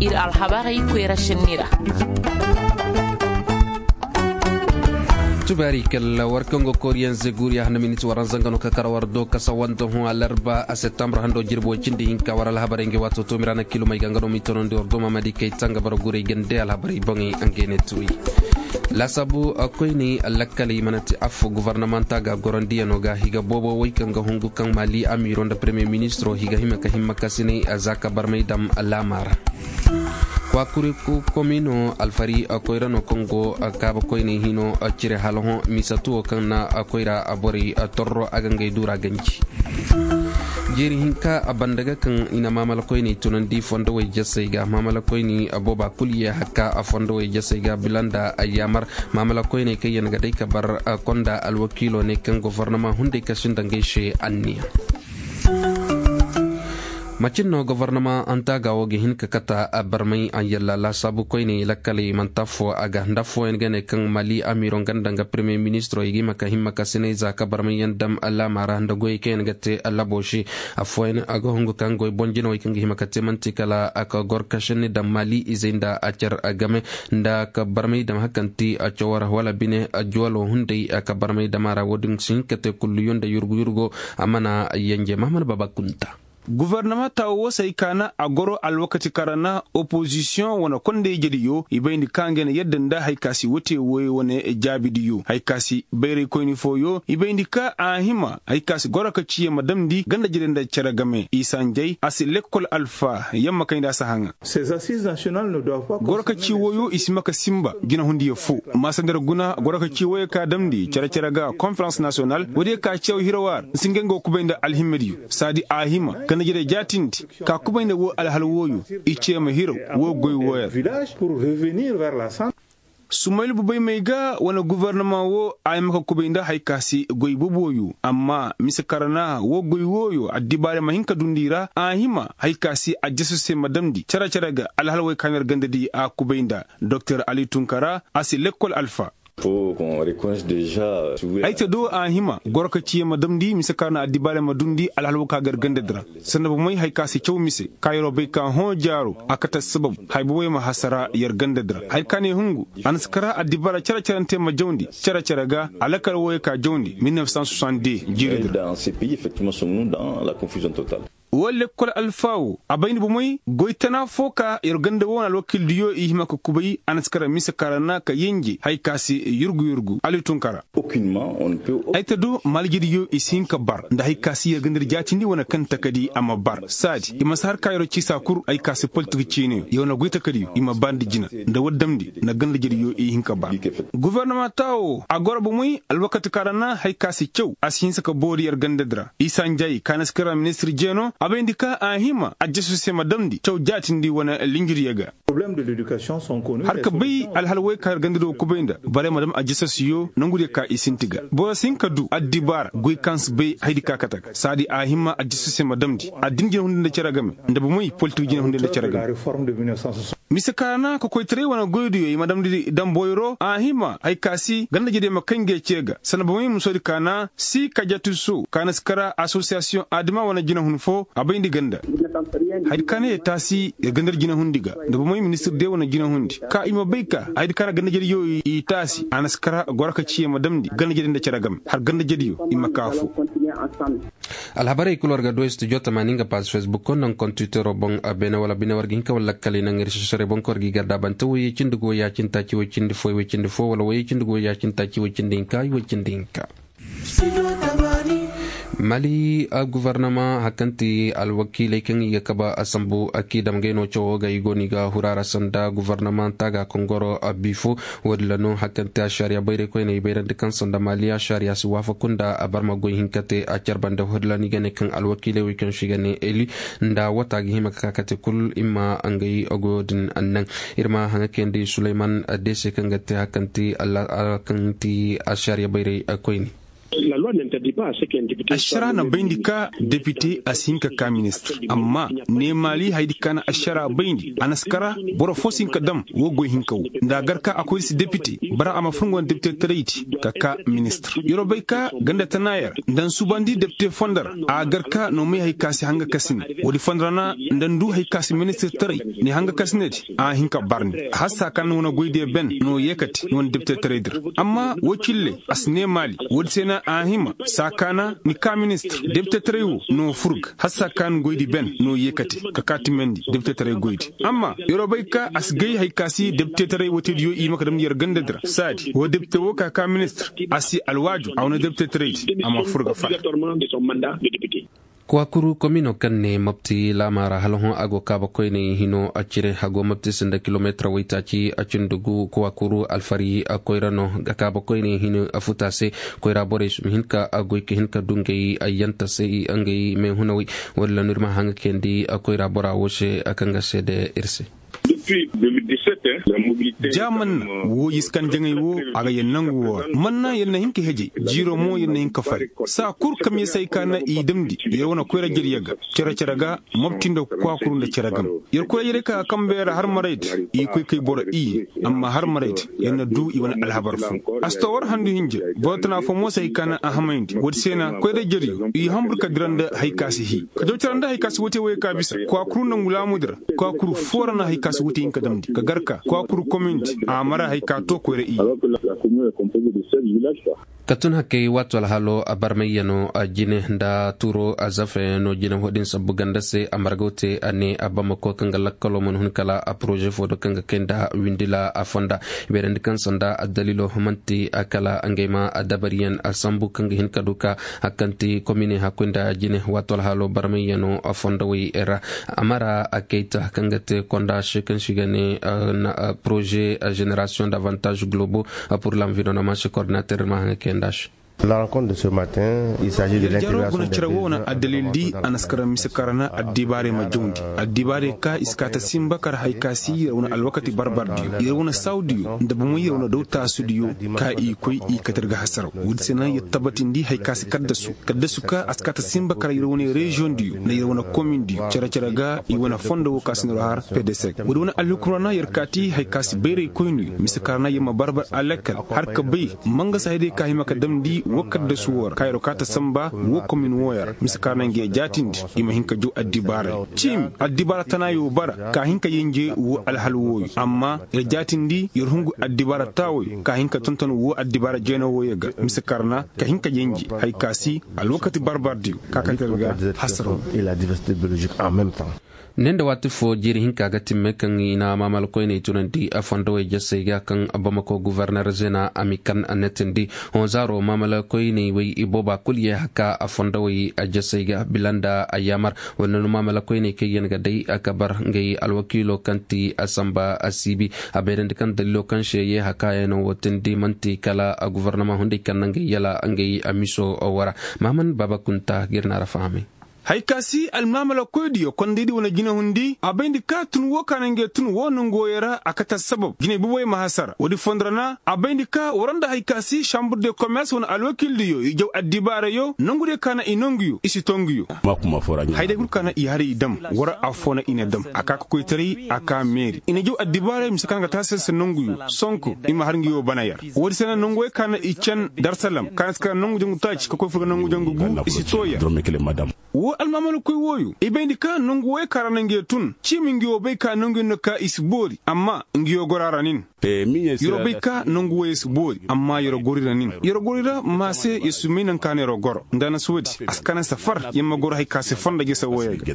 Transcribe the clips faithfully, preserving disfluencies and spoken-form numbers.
Ir alhabarey koyra sinni ra. Tubaari kalla war kaŋ go kooriyaŋ zeguuriya handa miniti waranza nga no ka kar war do kasa wanda hõ alarba a septembre hando jirbi way cindi hinka war alhabarey nga waato toomira na kilomey ga nga no m'i tonandi war do mamadi kay tanga bara guray gande alhabarey boŋey nga ne tuwi. Laasaabu koyney lakkaley mana te affo gofornamanta ga gorandiyanoo ga higa boobo way kaŋ ga hungu kaŋ maali amiiro nda premier ministiro higa hima ka himma ka sinay za ka barmay dam laama ra. Kwakuri komino alfari koyra no kaŋ go kaaba koyney hino cire hala hõ misatu wo kaŋ na koyra borey torro a ga ngey duura ganji. Jeeri hinka a banda ga kaŋ i na maamala koyney tunandi fondowey jasey ga maamala koyney booba kul ye hakka a fondowey jasey ga bila nda yaamar maamala koyney kaŋ yaŋ ga day ka bar konda alwakiilo ne kaŋ gofornama hunday kasi nda ngey se anniya. Macin no gofornama antaaga wo ga hin ka kata barmay a yalla laasaabu koyney lakkaley manti affoo a ga nda affooyaŋ ga ne kaŋ mali amiiro nga nda nga premier ministiro i ga hima ka himma ka sinay za ka barmay yaŋ dam laama ra nda goyey kaŋ yaŋ ga te labo se. Affooyaŋ a ga hungu kaŋ goy boŋ jinawey kaŋ ga hima ka te manti kala a ka gor ka sinni dam mali izey nda a car game nda ka barmay dam hakanti a cawar wala bine a juwalo hunday a ka barmay dam a ra wo- din si hin ka te kulluyo nda yurgu yurgo. A mana yanje mahamad baba kunta. Gofornama taawo wo se ay kaana a goro alwakati kaŋ ra na opozisiyoŋ wane kondey jediyo i bayndi ka nga na yadda nda hari ka si wote woy wane jaabidiyo hari ka si bayraykoyni fooyo i bayndi ka a hima hari ka si goro ka ci ye ma damndi ganda jede nda cere game i sanjay a si lekkol alfa yamma kayndi a si haŋa. Goro ka ci woyo i si ma ka sinba jinahundiyo foo. Maasa nda ir guna goro ka ci woyo ka damndi cere cere ga konferans nasiyonal woodiyo ka cew hiraw a ra nda si ngey nga wa kubay nda alhimmadiyo saadi a hima ganda jede jaatindi ka kubay nda woo alhal wooyo i cee ma hiraw woo goy wooyo ra. Sumayil bubay may ga wane gofornama woo a hima ka kubay nda hari ka si goy boobo wooyo amma mise kaŋ ra na woo goy wooyo addibaarey ma hin ka dundi i ra a hima hari ka si a jasu se ma damndi cere cere ga alhal woy ka na ir gandadi a kubay nda doktor ali tunkara a si lekkol alfa. Ay te do a hima goro ka ci ye ma damndi mise kaŋ ra na addibaarey ma dundi alhal woo ka ga ir gandadi ra sanda bomey hari ka si caw mise kaŋ yeroo bay ka hõ jaaro a kate sababu hari bomey ma hasara yer gandadi ra hari ka ne hungu a na si kara addibaara cere-cerante ma jawndi cere-cere ga a lakkal wooyo ka jawndi mil neuf cent soixante-deux jiiridi ra. Woo lekkol alfa woo a bay nda bomey goy tana foo ka yer ganda woo na alwakiildiyo i hima ka kubay a na si kara mise kaŋ ra na ka yenje hari ka si yurgu yurgu ali tunkara. Ay ta do maalijediyo i si hin ka bar nda hari ka si yer gandadi jaatindi wane kaŋ takadi a ma bar saadi i ma si har ka yeroo ciisa kul hari ka si politik ciiniyo yer wane goy takadiyo i ma bar nda jina nda war damndi nda gandajediyo i hin ka bar. Gofornama taawo a goro bomey alwakati kaŋ ra na hari ka si caw a si hinsa ka boori yer gandadi ra isa njay ka na si kara ministir jeeno a bayndi ka a hima a jasu se ma damndi caw jaatindi wane linjiryo ga. Har ka bay alhal woy ka yer gandadi wo kubay nda barey ma dam a jasasuyo nongudiyo ka i sinti ga boro si hin ka du addibaara goy kaŋ si bay hayadi ka kate ga saadi a hima a jasu se ma damndi addin jina hundi nda cere game nda bomey politik jina hundi nda cere game. Mise kaana kokoytaray wane goydiyo i ma damndi damboyro a hima hari ka si gandajediyo ma kay ngey ce ga sanda bomey musoodi kaana si kajatiso kaana si kara asosiyasiyoŋ adama wane jinahun fo a bayndi ganda. Hayadi kaana ye taasi yer gandar jinahundi ga nda bomey ministir de wane jinahundi ka i ma bay ka hayadi kaana gandajediyo i taasi a na si kara goro ka ci ye ma damndi gandajedi nda cere game har gandajediyo i ma ka fo. Alhabarey kul war ga du studio tamaani nga paaz facebook nda nga kontitero boŋ. Beene wala bine war ga hin ka wala lakkaley naŋ ir sosore boŋ ka war ga i gardaabante woyey cindi go ya cindi taaci woy cindi fo woy cindi fo wala woyey cindi go ya cindi taaci woy cindi hinka woy cindi hinka. Mali gofornama hari kaŋ ti alwakiiley kaŋ i ga kabe sambu kiidam gay no cawo ga i go no i ga huru a ra sanda gofornamanta ga kaŋ goro bifo. Woodin ra no hari kaŋ ti ašariya bayraykoyney bayrandi kaŋ sanda mali ašariya si waafaku nda a barma goy hinka te a care banda woodin ra no i ga ne kaŋ alwakiiley wey kaŋ se i ga ne eli nda wata ga hima ka ka kate kul i ma ngey goyo din. Annaŋ ir ma haŋa kayandi suleyman deese kaŋ ga te hari kaŋ ti ašariya bayray koyne. Ašaraa na bayndi ka depite a si hin ka kaa ministir. Amma neemaali hayadi ka na ašaraa bayndi a na si kara boro foo si hin ka dam woo goy hinka woo nda a gar ka a koy si depite. Bara a ma fur nga wane depitetaraydi ka kaa ministir. Yer wo bay ka ganda tana yer nda n'suubandi depite fondo ra a gar ka n'o may hay ka si hanga ka si ne. Woodi fondo ra na nda n'du hay ka si ministirtaray ni hanga ka si ne di a hin ka barndi hassa ka na wane goydiyo ben n'o yeekate ni wane depitetaraydi ra. Amma woo cille a si neemaali woodi se na a hima saa ka na ni kaa ministir depitetaray woo n'o fur ga hassa ka na goydi ben n'o yeekate ka kaa timandi depitetaray goydi. Amma yer wo bay ka a si gay hay ka si depitetaray wootediyo i ma ka damndi yer gandadi ra saadi woo depite woo ka kaa ministir a si alwaaju a wane depitetaraydi a ma fur ga fala. Kuwakuru komino kaŋ ne mopti laama ra hala hõ a go kaaba koyney hino a cire a go mopti sinda kilomeetir waytaaci a cindi gu kuwakuru alfari a koyra no ga kaaba koyney hino a futa se. Koyra borey si ma hin ka a goy ka hin ka du ngey ayyanta se i ngey meehunawey. Walla no ir ma haŋ ga kayandi a koyra bora wo se a kaŋ ga seede ir se. Ja manna woo yiskan jaŋay woo a ga yee nangu woo ra manna yer na hin ka hejay jiiro mo yer na hin ka fari. Saa kul kamyasay ka na i damndi yer wane koyra jariya ga cere-cere ga mopti nda kwaakuru nda cere game. Yer koyra jariya ka ga kambe ra har maraydi i koy kay boro iyye. Amma har maraydi yer na du i wane alhabar foo. A si too war handu hinja boro tana foo mo si hay ka na a hamayndi woodi se na koyra jariyo i hanbur ka dira nda hay ka si hii ka jaw cere nda hay ka si wootey woyey ka bisa kwaakuru nongu laamudi ra. Kwaakuru foo ra na hay ka si wootey hin ka damndi ka gar ka kwaakuru komindi a mara hay ka too koyra iyye. Ka tun hakkey waato alhalo a barmayyanoo a jine nda tuuroo a zafeyanoo jine wo-din sabbu ganda se a margaw te a ne a bamako kaŋ ga lakkaloo mana hun kala a poroze foo do kaŋ ga kay nda windila a fonda. Beerandi kaŋ sanda addaliiloo man'ti a kala ngey ma a dabariyan a sambu kaŋ ga hin ka du ka hakkanti komine hakkoy nda jine waato alhalo barmayyanoo a fondowey ra. A mara a kayta kaŋ ga te konda se kaŋ si ga ne poroze jenerasiyoŋ davantaaz globo. Pur lanvironoma se kordinater ir ma haŋa kayanda se. Yer jaro guna cere woo wane addalil di a na si kara mise kaŋ ra na addibaarey ma jawndi. Addibaarey ka i si kaa ta sinba kar hay ka si yer wane alwakati barbardiyo yer wane saawdiyo nda bomoy yer wane daw taasudiyo ka i koy i kate ir ga hasaraw. Woodi se na yer tabatindi hay ka si kaddasu kaddasu ka a si kaa ta sinba kar yer wane reziyoŋdiyo nda yer wane komindiyo cere-cere ga i wane fondo woo ka si nor har pedesek woodi wane alhukum ra na yer kaati hay ka si bayray koyniyo mise kaŋ ra na yer ma barbar a lakkal har ka bay. Mangasa hayday ka hima ka damndi woo kaddasu woo ra ka yeroo kaa ta samba woo komin wooyo ra mise kaŋ ra na nga yee jaatindi i ma hin ka jaw addibaaray ciimi addibaara tanaayo bara ka hin ka yenje woo alhal wooyo amma yer jaatindi yer hungu addibaara taawoyo ka hin ka tonton woo addibaara jeena wooyo ga mise kaŋ ra na ka hin ka yenje hay ka si alwakati barbardiyo ka kate ir ga hasaraw. Ne nda waati foo jiiri hinka ga timme kaŋ i na maamala koyney tunandi a fondowey jasey ga kaŋ bamako guverner zena a mi kan a netindi. Honzaaro maamala koyney wey i booba kul ye haka a fondowey a jasey ga bila nda a yaamar wala no maamala koyney kaŋ yaŋ ga day a kabar ngey alwakiilo kaŋ ti a samba a siibi a bayrandi kaŋ daliilo kaŋ se ye haka yaŋ no wo tindi man'ti kala a guverneman hunday kaŋ na ngey yala ngey a miso wara. Maaman baaba kunta ga ir na ra fahamay. Hay ka si almaamala koydiyo kondaydi wane jinahundi a bayndi ka tun woo ka na ngey tun woo nongu wooyey ra a kate assabab jinay boboyey ma hasara woodi fondo ra na a bayndi ka wara nda hay ka si sambur de komers wane alwakiildiyo i jaw addibaarayo nongudiyo ka na i nonguyo i si too nguyo. Hayday kul ka na i har i dam wara affoo na i na dam a ka kokoytaray a ka meeri i na jaw addibaarayo mise ka na ga taasi se nonguyo sonko i ma har nguyo bana yar. Woodi se na nonguwey ka na i can darsalam ka na si kara nongu jangu taaci ka koy fur ga nongu jangu gu i si too yar. Woo almaamalakoy wooyo i bayndi ka nongu wooyo ka ra na nguyo tun ciimi nguyo bay ka nonguyo no ka i si boori amma nguyo goro a ra nin. Yer'o bay ka nongu wooyo si boori amma yer'o goro i ra nin yer'o goro i ra ma se yer si may naŋ ka na yer'o goro nda na si woodi a si ka na safar yer ma goro hay ka se fonda jese wooyo ga.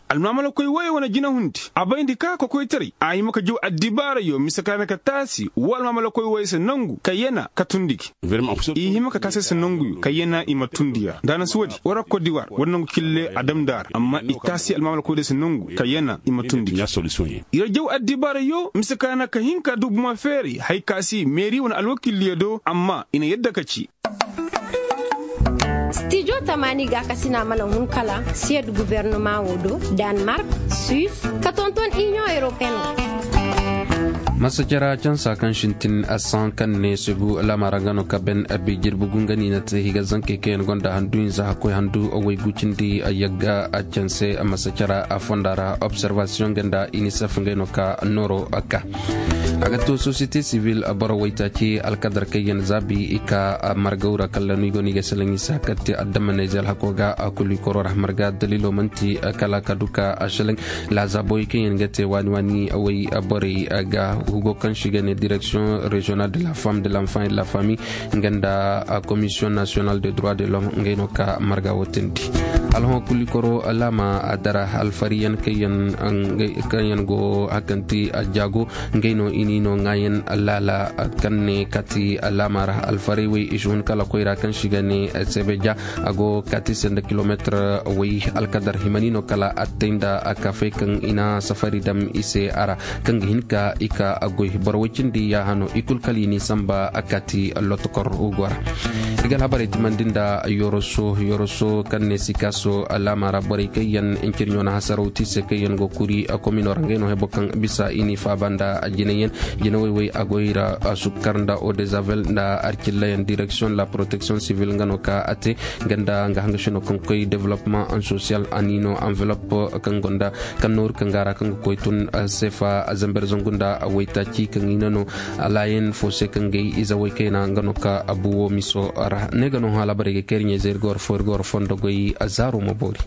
Almaamalakoy wooyo wane jinahundi a bayndi ka kokoytaray a hima ka jaw addibaarayo mise ka na ka taasi woo almaamalakoy wooyo se nongu ka yana ka tundi gi. I hima ka taasi se nonguyo ka yana i ma tundi ya nda na si woodi wara kodiwar wara nongu kille a damndi a ra amma i taasi almaamalakoy diyo se nongu ka yana i ma tundi gi. Yer jaw addibaarayo mise ka na ka hin ka du buma feeri hay ka si meeri wane alwakiildiyo do amma i na yadda ka ci. Stijo tamaani gaakasina mana hun kala siyad guverneman wo do, danmark, suis, ka tonton iniyoŋ europeen wo. Masajara cansa kaŋ sintin asaŋ kaŋ ne segu laamara nga no ka ben abi jirbi gunga ni na te higa zankey kaŋ yaŋ gonda handu hinza hakkoy handu waygu cindi yagga canse masajara fonda ra observation ganda inisef ngey no ka nooro ka a ga to société civile boro waytaaci alkadar kaŋ yaŋ zaabi i ka margaw ra kalla no i go no i ga selaŋ i se hakatti adama neezel hako ga kulu i koro ra marga dalilo manti kala ka du ka a selaŋ laazaabowey kaŋ yaŋ ga te waani waani way borey ga hugo kaŋ si ga ne direction régionale de la femme de l'enfant et de la famille nga nda commission nationale de droit de l'homme ngey no ka marga wo tindi. Alhon kulu i koro laama a dara alfariyan kaŋ yaŋ go hakanti a jaago ngey no i ni no ŋaayan laala kaŋ ne kati laama ra alfaray wey i si hun kala koyra kaŋ si ga ne sebeja a go kati se nda kilomeetir wey alkadar himani no kala attay nda kafay kaŋ i na safari dam i se a ra kaŋ ga hin ka i ka goy boro way cindi yaaha no i kulu kala i n'i samba kati lotokor hugo ra. I ga alhabarey timandi nda yoroso yoroso kaŋ ne sikaso laama ra borey kaŋ yaŋ incirɲo na hasaraw ti se kaŋ yaŋ go kuri komino ra ngey no hebo kaŋ bisa i n'i faaba nda jinay yaŋ jinawey wey a goy ra sukkar nda odezavel nda arcillayaŋ direction la protection civile nga no ka a te ganda nga hanga sino kaŋ koy development en social a ni no enveloppe kaŋ gonda kaŋ nooru kaŋ ga ra kaŋ ga koy tun sefa zamber zangu nda waytaaci kaŋ i na no laayen fo se kaŋ gay ize way kayna nga no ka abu wo miso ra ne ga no hã labarey ga kay iri ɲayze iri ga war fo iri ga war fondo goy zaaro ma boori.